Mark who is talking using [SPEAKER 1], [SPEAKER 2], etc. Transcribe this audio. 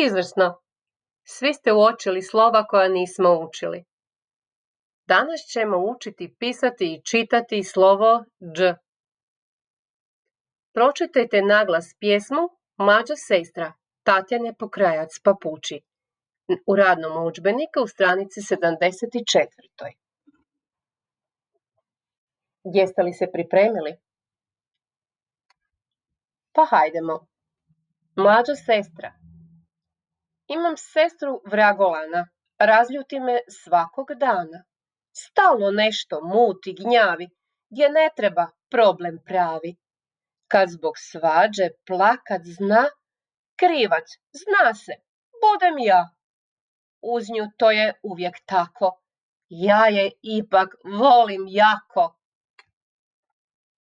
[SPEAKER 1] Izvrsno. Svi ste uočili slova koja nismo učili. Danas ćemo učiti pisati i čitati slovo dž. Pročitajte naglas pjesmu Mlađa sestra Tatjane Pokrajac Papuči u radnom udžbeniku u stranici 74. Jeste li se pripremili? Pa hajdemo. Mlađa sestra. Imam sestru Vragolana, razljuti me svakog dana. Stalno nešto muti, gnjavi, gdje ne treba problem pravi. Kad zbog svađe plakat zna, krivac zna se, budem ja. Uz nju to je uvijek tako, ja je ipak volim jako.